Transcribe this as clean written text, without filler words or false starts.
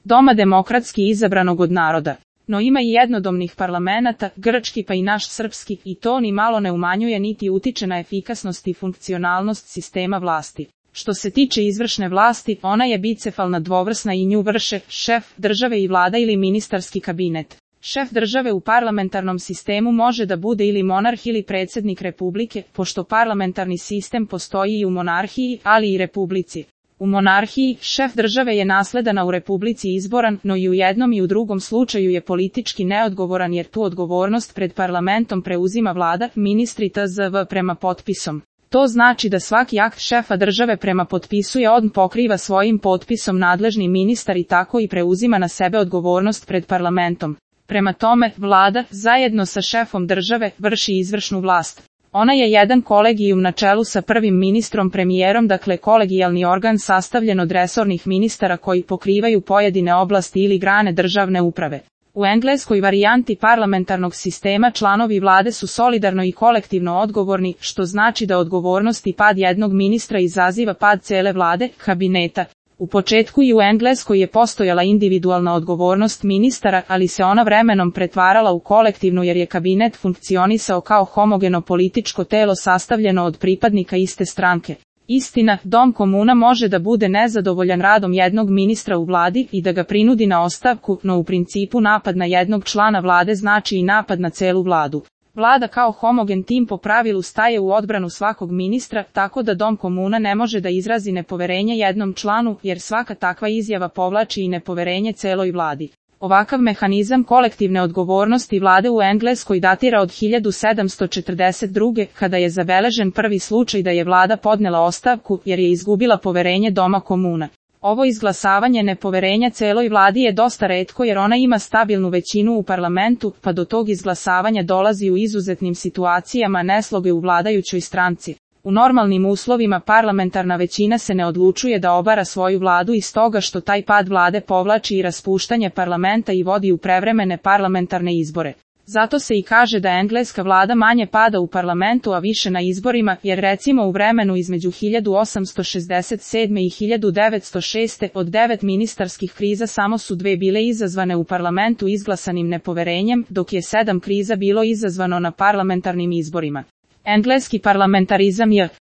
doma demokratski izabranog od naroda. No ima i jednodomnih parlamenata, grčki pa i naš srpski, i to ni malo ne umanjuje niti utiče na efikasnost i funkcionalnost sistema vlasti. Što se tiče izvršne vlasti, ona je bicefalna dvovrsna i nju vrše šef države i vlada ili ministarski kabinet. Šef države u parlamentarnom sistemu može da bude ili monarh ili predsjednik republike, pošto parlamentarni sistem postoji i u monarhiji, ali i republici. U monarhiji, šef države je nasledana u republici izboran, no i u jednom i u drugom slučaju je politički neodgovoran jer tu odgovornost pred parlamentom preuzima vlada, ministri tzv. prema potpisom. To znači da svaki akt šefa države prema potpisuje on pokriva svojim potpisom nadležni ministar i tako i preuzima na sebe odgovornost pred parlamentom. Prema tome, vlada, zajedno sa šefom države, vrši izvršnu vlast. Ona je jedan kolegijum na čelu sa prvim ministrom premijerom, dakle kolegijalni organ sastavljen od resornih ministara koji pokrivaju pojedine oblasti ili grane državne uprave. U engleskoj varijanti parlamentarnog sistema članovi vlade su solidarno i kolektivno odgovorni, što znači da odgovornost i pad jednog ministra izaziva pad cele vlade, kabineta. U početku i u Engleskoj je postojala individualna odgovornost ministara, ali se ona vremenom pretvarala u kolektivnu jer je kabinet funkcionisao kao homogeno političko telo sastavljeno od pripadnika iste stranke. Istina, Dom komuna može da bude nezadovoljan radom jednog ministra u vladi i da ga prinudi na ostavku, no u principu napad na jednog člana vlade znači i napad na celu vladu. Vlada kao homogen tim po pravilu staje u odbranu svakog ministra, tako da Dom komuna ne može da izrazi nepoverenje jednom članu, jer svaka takva izjava povlači i nepoverenje celoj vladi. Ovakav mehanizam kolektivne odgovornosti vlade u Engleskoj datira od 1742. kada je zabeležen prvi slučaj da je vlada podnela ostavku jer je izgubila poverenje Doma komuna. Ovo izglasavanje nepoverenja celoj vladi je dosta retko jer ona ima stabilnu većinu u parlamentu, pa do tog izglasavanja dolazi u izuzetnim situacijama nesloge u vladajućoj stranci. U normalnim uslovima parlamentarna većina se ne odlučuje da obara svoju vladu iz toga što taj pad vlade povlači i raspuštanje parlamenta i vodi u prevremene parlamentarne izbore. Zato se i kaže da engleska vlada manje pada u parlamentu a više na izborima, jer recimo u vremenu između 1867. i 1906. od 9 ministarskih kriza samo su 2 bile izazvane u parlamentu izglasanim nepoverenjem, dok je 7 kriza bilo izazvano na parlamentarnim izborima. Engleski parlamentarizam je